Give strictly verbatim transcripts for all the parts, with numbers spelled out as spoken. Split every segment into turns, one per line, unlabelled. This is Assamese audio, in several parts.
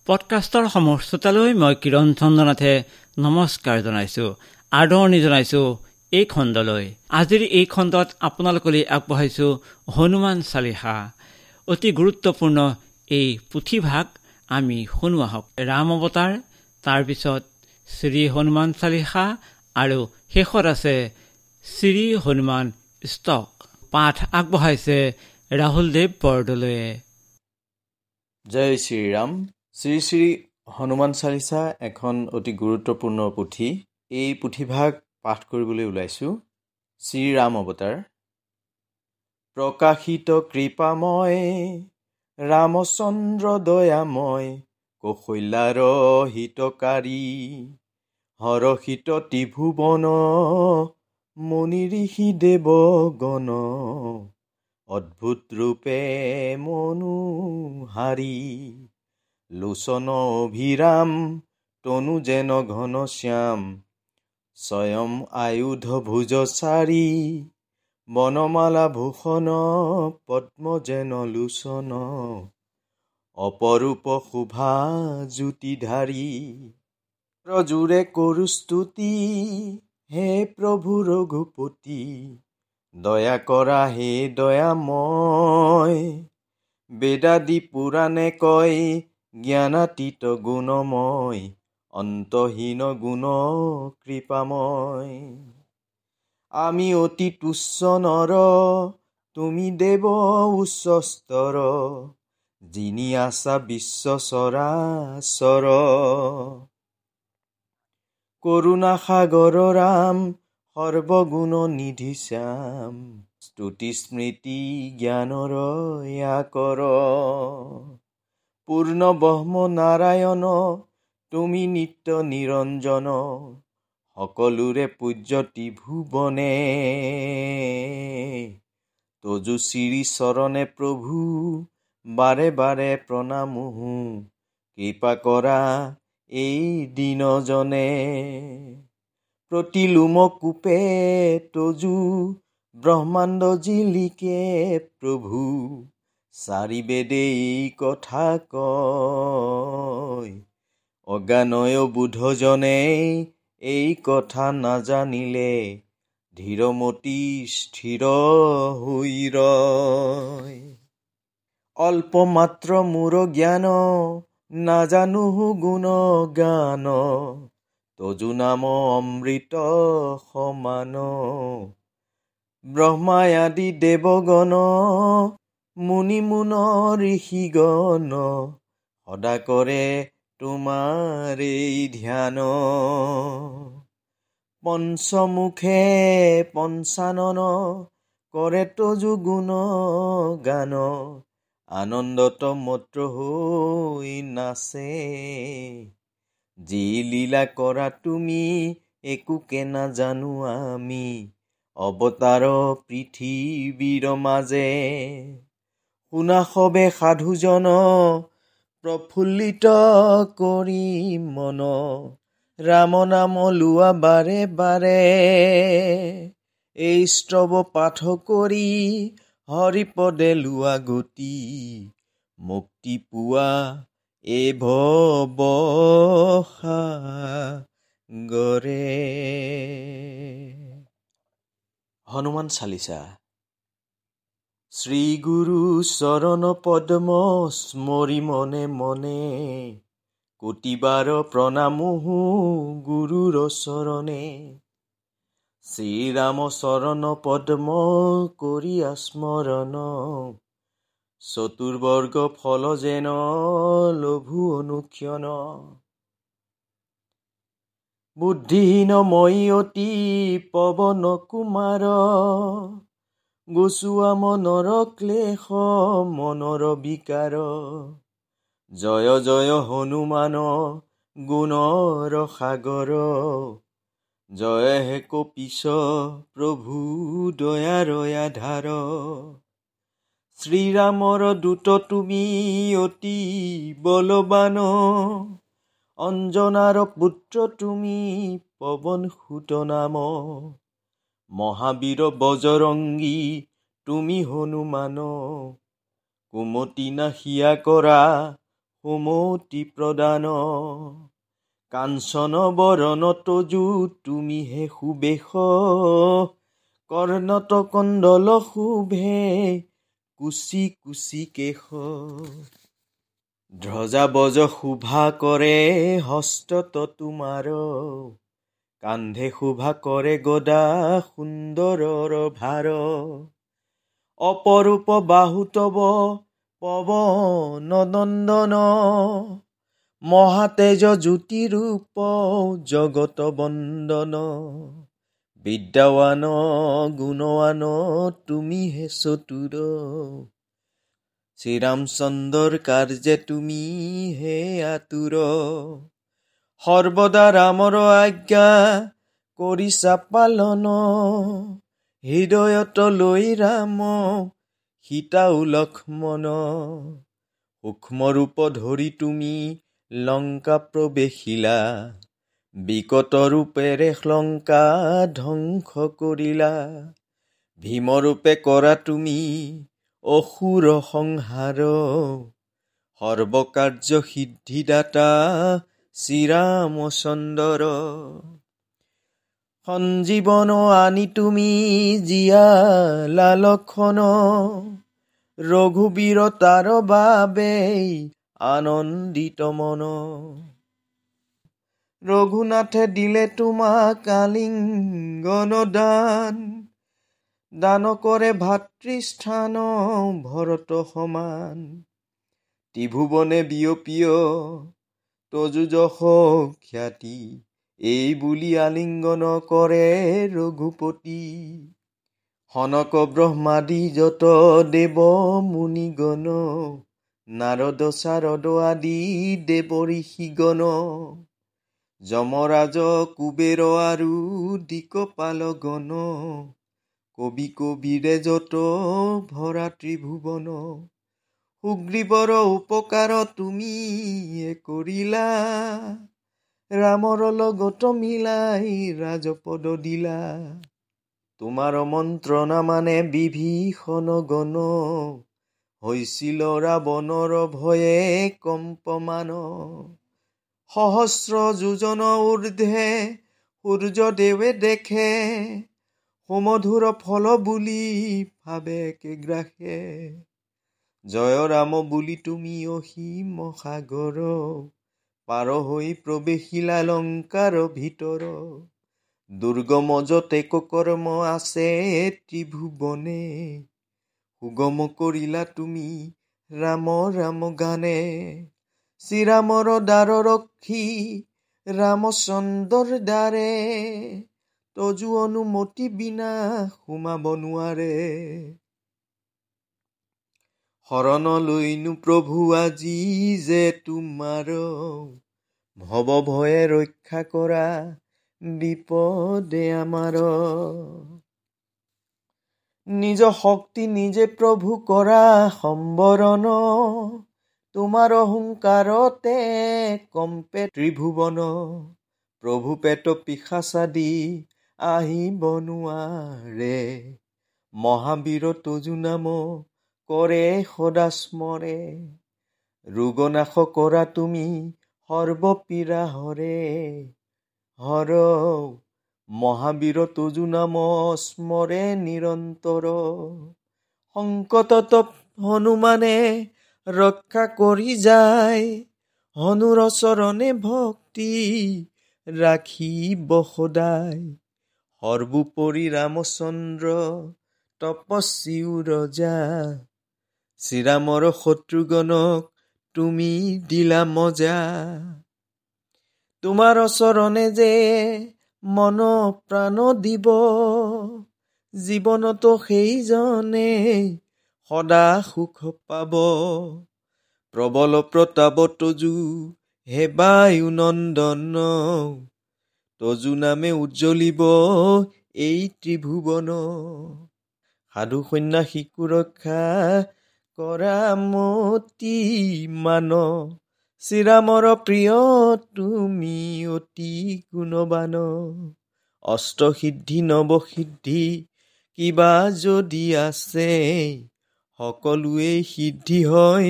পডকাষ্টৰ সমূহ শ্ৰোতালৈ মই কিৰণ চন্দ্ৰনাথে নমস্কাৰ জনাইছোঁ, আদৰণি জনাইছোঁ এই খণ্ডলৈ। আজিৰ এই খণ্ডত আপোনালোকলৈ আগবঢ়াইছোঁ হনুমান চালিসা। অতি গুৰুত্বপূৰ্ণ এই পুথিভাগ আমি শুনো আহক। ৰাম অৱতাৰ, তাৰপিছত শ্ৰী হনুমান চালিসা আৰু শেষত আছে শ্ৰী হনুমান ষ্টক। পাঠ আগবঢ়াইছে ৰাহুল দেৱ বৰদলৈয়ে।
জয় শ্ৰীৰাম। শ্ৰী শ্ৰী হনুমান চালিচা এখন অতি গুৰুত্বপূৰ্ণ পুথি। এই পুথিভাগ পাঠ কৰিবলৈ ওলাইছোঁ। শ্ৰীৰাম অৱতাৰ। প্ৰকাশিত কৃপাময় ৰামচন্দ্ৰ দয়াময়, কৌশল্যাৰ হিতকাৰী, হৰষিত ত্ৰিভুৱন, মুনি ঋষি দেৱগণ, অদ্ভুত ৰূপে মনোহাৰী, লোচন অভিৰাম, তনু যেন ঘনশ্যাম, স্বয়ং আয়ুধ ভুজ চাৰি, বনমালা ভূষণ, পদ্ম যেন লোচন, অপৰূপ শোভা জ্যোতিধাৰী। ৰজুৰে কৰো স্তুতি, হে প্ৰভু ৰঘুপতি, দয়া কৰা হে দয়াময়। বেদাদি পুৰাণে কয়, জ্ঞানাতীত গুণময়, অন্তহীন গুণ কৃপাময়। আমি অতি তুচ্ছ নৰ, তুমি দেৱ উচ্চস্তৰ, যিনি আছা বিশ্ব চৰাচৰ। কৰুণা সাগৰ ৰাম, সৰ্বগুণ নিধি শ্যাম, স্তুতি স্মৃতি জ্ঞানৰ আকৰ। পূৰ্ণ ব্ৰহ্ম নাৰায়ণ, তুমি নিত্য নিৰঞ্জন, সকলোৰে পূজ্য ত্ৰিভুৱনে। তজু শ্ৰী চৰণে প্ৰভু, বাৰে বাৰে প্ৰণামোহো, কৃপা কৰা এই দীনজনে। প্ৰতিলোম কূপে তজু, ব্ৰহ্মাণ্ড জিলিকে প্ৰভু, চাৰি বেদে এই কথা কয়। অজ্ঞানয় বুধজনে এই কথা নাজানিলে, ধীৰমতি স্থিৰ হৈ ৰয়। অল্প মাত্ৰ মোৰ জ্ঞান, নাজানো গুণ গান, তজু নাম অমৃত সমান। ব্ৰহ্মা আদি দেৱগণ, মুনি মুন ঋষিগণ, সদা কৰে তোমাৰ এই ধ্যান। পঞ্চমুখে পঞ্চানন, কৰে তজু গুণ গান, আনন্দত মত্ৰ হৈ নাচে। যি লীলা কৰা তুমি, একোকে নাজানো আমি, অৱতাৰ পৃথিৱীৰ মাজে। শুনা সবে সাধুজন, প্ৰফুল্লিত কৰি মন, ৰাম নাম লোৱা বাৰে বাৰে। এই স্তৱ পাঠ কৰি, হৰিপদে লোৱা গতি, মুক্তি পোৱা এ ভৱ সাগৰে। হনুমান চালিচা। শ্ৰী গুৰু চৰণ পদ্ম স্মৰি মনে মনে, কোটিবাৰ প্ৰণামোহো গুৰুৰ চৰণে। শ্ৰীৰাম চৰণ পদ্ম কৰিয়া স্মৰণ, চতুৰ্বৰ্গ ফল যেন লভু অনুক্ষণ। বুদ্ধিহীন মই অতি পৱন কুমাৰ, গুচোৱা মনৰ ক্লেশ মনৰ বিকাৰ। জয় জয় হনুমান গুণৰ সাগৰ, জয় হে কপিশ প্ৰভু দয়াৰ আধাৰ। শ্ৰীৰামৰ দূত তুমি অতি বলৱান, অঞ্জনাৰ পুত্ৰ তুমি পৱন সুত নাম। মহাবীৰ বজৰংগী তুমি হনুমান, কুমতি নাশিয়া কৰা সুমতি প্ৰদান। কাঞ্চন বৰণ তজু তুমি হে সুবেশ, কৰ্ণত কণ্ডল শোভে কুচি কুচি কেশ। ধ্বজা বজ শোভা কৰে হস্তত তোমাৰ, কান্ধে শোভা কৰে গদা সুন্দৰৰ ভাৰ। অপৰূপ বাহু তব পৱন নন্দন, মহাতেজ জ্যোতিৰূপ জগত বন্দন। বিদ্যাৱান গুণৱান তুমি হে চতুৰ, শ্ৰীৰামচন্দ্ৰৰ কাৰ্যে তুমি হে আতুৰ। সৰ্বদা ৰামৰ আজ্ঞা কৰিছা পালন, হৃদয়ত লৈ ৰাম সীতাও লক্ষ্মণ। সূক্ষ্ম ৰূপ ধৰি তুমি লংকা প্ৰৱেশিলা, বিকট ৰূপেৰে লংকা ধ্বংস কৰিলা। ভীমৰূপে কৰা তুমি অসুৰ সংহাৰ, সৰ্বকাৰ্য সিদ্ধিদাতা শ্ৰীৰামচন্দ্ৰ। সঞ্জীৱন আনি তুমি জীয়ালা লক্ষণ, ৰঘুবীৰ তাৰ বাবে আনন্দিত মন। ৰঘুনাথে দিলে তোমাক আলিংগন দান, দান কৰে ভাতৃস্থান ভৰত সমান। ত্ৰিভুৱনে বিয়পিয় তজু যশ খ্যাতি, এই বুলি আলিংগন কৰে ৰঘুপতি। সনক ব্ৰহ্মাদি যত দেৱ মুনিগণ, নাৰদ চাৰদ আদি দেৱ ঋষিগণ। যমৰাজ কুবেৰ আৰু দিকপালগণ, কবি কবিৰে যত ভৰা ত্ৰিভুৱন। সুগ্ৰীৱৰ উপকাৰ তুমি কৰিলা, ৰামৰ লগত মিলাই ৰাজপদ দিলা। তোমাৰ মন্ত্ৰণা মানে বিভীষণ গণ, হৈছিল ৰাৱণৰ ভয়ে কম্পমান। সহস্ৰ যোজন ঊৰ্ধ্বে সূৰ্যদেৱে দেখে, সুমধুৰ ফল বুলি ভাবে গ্ৰাসে। জয় ৰাম বুলি তুমি অসীম সাগৰ, পাৰ হৈ প্ৰৱেশিলা লংকাৰ ভিতৰ। দুৰ্গম যতেক কৰ্ম আছে ত্ৰিভুৱনে, সুগম কৰিলা তুমি ৰাম ৰাম গানে। শ্ৰীৰামৰ দ্বাৰ ৰক্ষী ৰামচন্দ্ৰৰ দ্বাৰে, তজু অনুমতি বিনা সোমাব নোৱাৰে। শৰণ লৈনো প্ৰভু আজি যে তোমাৰ, ভৱ ভয়ে ৰক্ষা কৰা বিপদে আমাৰ। নিজ শক্তি নিজে প্ৰভু কৰা সম্বৰণ, তোমাৰ অহংকাৰতে কম্পে ত্ৰিভুৱন। প্ৰভু পেট পিশাচাদি আহিব নোৱাৰে, মহাবীৰ তজু নাম কৰে সদা স্মৰে। ৰোগনাশ কৰা তুমি সৰ্বপীড়া হৰে, হৰ মহাবীৰ তজু নাম স্মৰে নিৰন্তৰ। সংকটত হনুমানে ৰক্ষা কৰি যায়, হনুৰ চৰণে ভক্তি ৰাখিব সদায়। সৰ্বোপৰি ৰামচন্দ্ৰ তপস্বীও ৰজা, শ্ৰীৰামৰ শত্ৰুগণক তুমি দিলা মজা। তোমাৰ চৰণে যে মন প্ৰাণ দিব, জীৱনতো সেইজনে সদা সুখ পাব। প্ৰবল প্ৰতাপ তজু হে বায়ু নন্দন, তজু নামে উজ্জ্বলিব এই ত্ৰিভুৱন। সাধু সন্যাসীকো ৰক্ষা কৰা মতি মান, শ্ৰীৰামৰ প্ৰিয় তুমি অতি গুণবান। অষ্টসিদ্ধি নৱসিদ্ধি কিবা যদি আছে, সকলোৱে সিদ্ধি হয়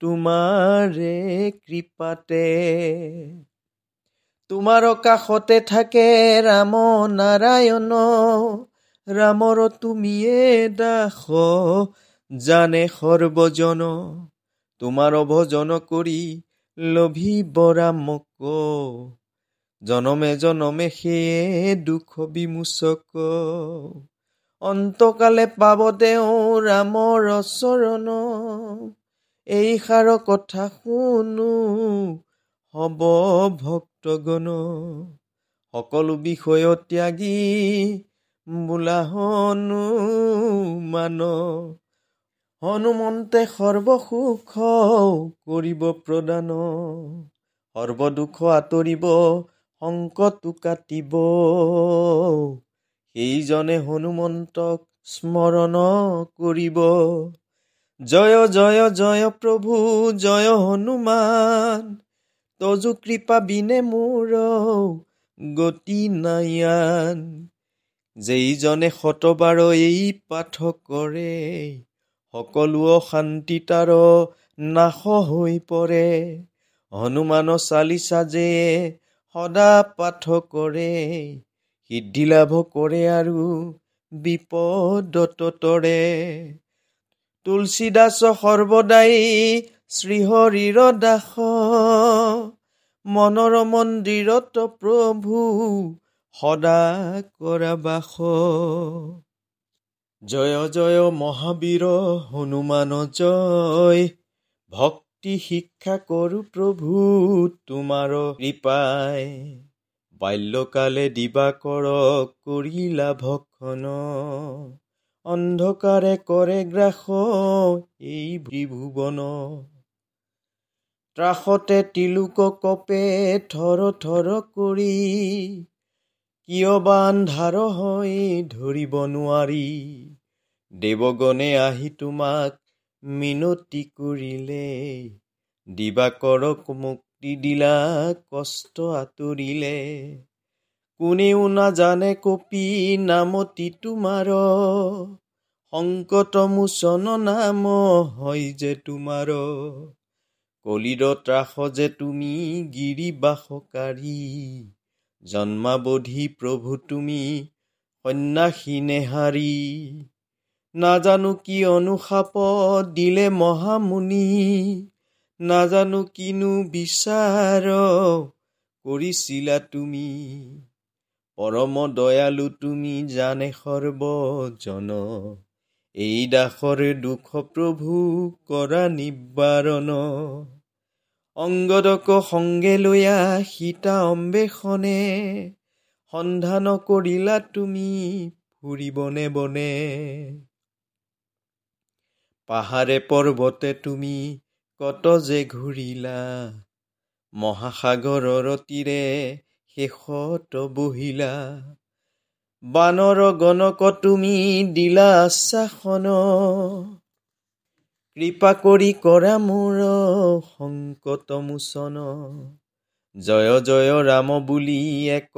তোমাৰে কৃপাতে। তোমাৰ কাষতে থাকে ৰাম নাৰায়ণ, ৰামৰ তুমিয়ে দাস জানে সৰ্বজন। তোমাৰ ভজন কৰি লভিব ৰামক, জনমে জনমে সেয়ে দুখ বিমোচক। অন্তকালে পাব তেওঁ ৰামৰ চৰণ, এই সাৰ কথা শুনো হব ভক্তগণ। সকলো বিষয় ত্যাগী বোলা হনুমান, হনুমন্তে সৰ্বসুখ কৰিব প্ৰদান। সৰ্বদুখ আঁতৰিব সংকটো কাটিব, সেইজনে হনুমন্তক স্মৰণ কৰিব। জয় জয় জয় প্ৰভু জয় হনুমান, তজু কৃপা বিনে মোৰ গতি নাই আন। যেইজনে শতবাৰ এই পাঠ কৰে, সকলো অশান্তি তাৰ নাশ হৈ পৰে। হনুমান চালিচা যে সদা পাঠ কৰে, সিদ্ধি লাভ কৰে আৰু বিপদত তৰে। তুলসীদাস সৰ্বদাই শ্ৰীহৰিৰ দাস, মনৰ মন্দিৰত প্ৰভু সদা কৰা বাস। জয় জয় মহাবীৰ হনুমান জয়, ভক্তি শিক্ষা কৰো প্ৰভু তোমাৰ কৃপাই। বাল্যকালে দিবাকৰ কৰিলা ভক্ষণ, অন্ধকাৰে কৰে গ্ৰাস এই ত্ৰিভুৱন। ত্ৰাসতে তিলোক কপে থৰ থৰ কৰি, কিয় বা আন্ধাৰ হৈ ধৰিব নোৱাৰি। দেৱগণে আহি তোমাক মিনতি কৰিলে, দিবাকৰক মুক্তি দিলা কষ্ট আঁতৰিলে। কোনেও নাজানে কপি নামতি তোমাৰ, সংকট মোচন নাম হয় যে তোমাৰ। কলিৰ ত্ৰাস যে তুমি গিৰিবাসকাৰী, জন্মাবধি প্ৰভু তুমি সন্যাসী নেহাৰী। নাজানো কি অনুশাপ দিলে মহামুনি, নাজানো কিনো বিচাৰ কৰিছিলা তুমি। পৰম দয়ালু তুমি জানে সৰ্বজন, এই দাসৰ দুখ প্ৰভু কৰা নিবাৰণ। অঙ্গদক সংগে লৈয়া সীতা অম্বেষণে, সন্ধান কৰিলা তুমি ফুৰি বনে বনে। পাহাৰে পৰ্বতে তুমি কত যে ঘূৰিলা, মহাসাগৰৰ তীৰে শেষত বহিলা। বানৰ গণক তুমি দিলা আশ্বাসন, কৃপা কৰি কৰা মোৰ সংকট মোচন। জয় জয় ৰাম বুলি এক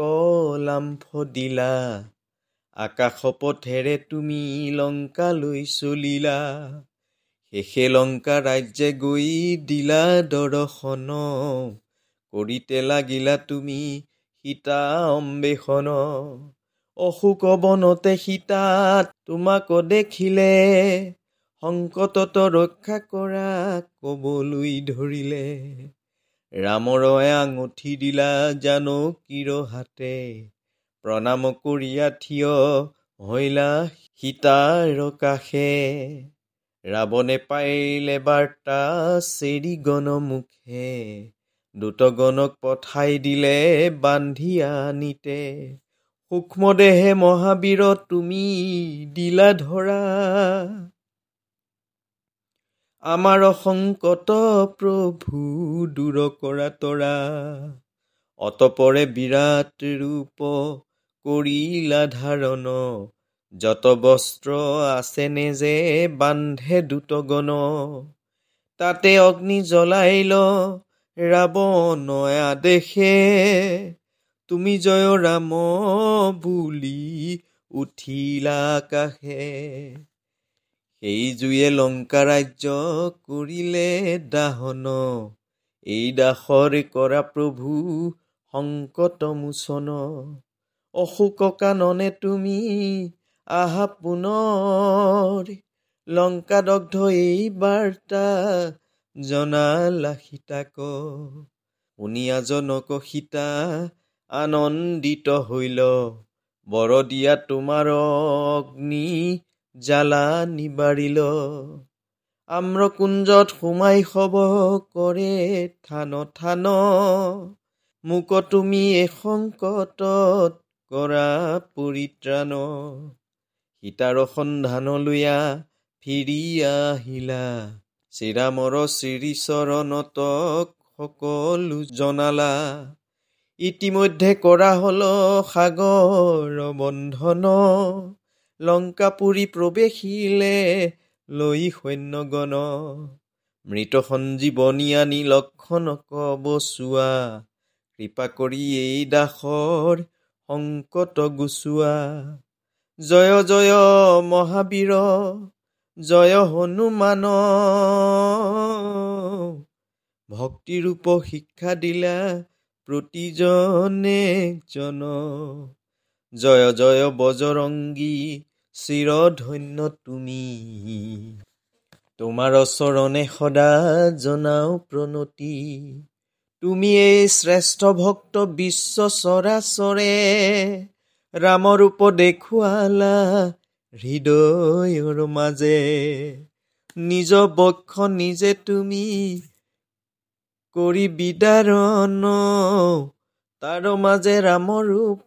লাম্ফ দিলা, আকাশ পথেৰে তুমি লংকালৈ চলিলা। শেষে লংকা ৰাজ্যে গৈ দিলা দৰ্শন, কৰিতে লাগিলা তুমি সীতা অম্বেষণ। অশোক বনতে সীতা তোমাক দেখিলে, সংকটত ৰক্ষা কৰা কবলৈ ধৰিলে। ৰামৰ আঙুঠি দিলা জানকীৰ হাতে, প্ৰণাম কৰিয়া থিয় হৈলা সীতাৰ কাষে। ৰাৱণে পাইলে বাৰ্তা চেৰি গণ মুখে, দূতগণক পঠাই দিলে বান্ধি আনিতে। সূক্ষ্ম দেহে মহাবীৰ তুমি দিলা ধৰা, আমাৰ সংকট প্ৰভু দূৰ কৰা তৰা। অতপৰে বিৰাট ৰূপ কৰিলা ধাৰণ, যত বস্ত্ৰ আছে নেজে বান্ধে দূতগণ। তাতে অগ্নি জ্বলাইল ৰাৱণ আদেশে, তুমি জয় ৰাম বুলি উঠিলা আকাশে। সেই জুয়ে লংকা ৰাজ্য কৰিলে দাহন। এই দাসৰ কৰা প্ৰভু সংকট মোচন। অশোক কাননে তুমি আহা পুনৰ, লংকা দগ্ধ এই বাৰ্তা জনালা সীতাক। শুনিয়া জনক সীতা আনন্দিত হইল, বৰ দিয়া তোমাৰ অগ্নি জ্বালা নিবাৰিল। আম্ৰকুঞ্জত সোমাই সব কৰে থান থান, মোক তুমি এই সংকটত কৰা পৰিত্ৰাণ। সীতাৰ সন্ধান লৈয়া ফিৰি আহিলা, শ্ৰীৰামৰ শ্ৰীচৰণত সকলো জনালা। ইতিমধ্যে কৰা হল সাগৰ বন্ধন, লংকাপুৰী প্ৰৱেশিলে লৈ সৈন্যগণ। মৃত সঞ্জীৱনী আনি লক্ষণক বচোৱা, কৃপা কৰি এই দাসৰ সংকট গুচোৱা। জয় জয় মহাবীৰ জয় হনুমান, ভক্তিৰূপ শিক্ষা দিলা প্ৰতিজনে জন। জয় জয় বজৰংগী চিৰধন্য তুমি, তোমাৰ চৰণে সদা জনাও প্ৰণতি। তুমি এই শ্ৰেষ্ঠ ভক্ত বিশ্ব চৰাচৰে, ৰামৰূপ দেখুৱালা হৃদয়ৰ মাজে। নিজ বক্ষ নিজে তুমি কৰি বিদাৰণ, তাৰ মাজে ৰামৰূপ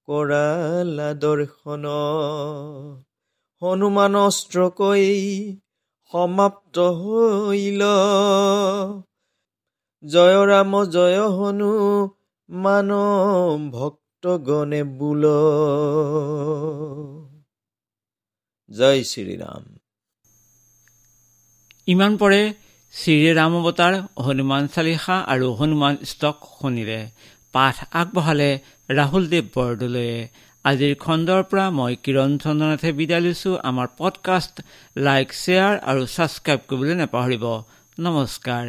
কৰালা দৰ্শন। হনুমান অস্ত্ৰ কৈ সমাপ্ত হইল, জয় ৰাম জয় হনুমান ভক্তগণে বোল। জয় শ্ৰীৰাম।
ইমান পৰে শ্ৰীৰাম অৱতাৰ, হনুমান চালিসা আৰু হনুমান ষ্টক শুনিলে। পাঠ আগবঢ়ালে ৰাহুল দেৱ বৰদলৈয়ে। আজিৰ খণ্ডৰ পৰা মই কিৰণ চন্দ্ৰনাথে বিদায় লৈছোঁ। আমাৰ পডকাষ্ট লাইক, শ্বেয়াৰ আৰু ছাবস্ক্ৰাইব কৰিবলৈ নাপাহৰিব। নমস্কাৰ।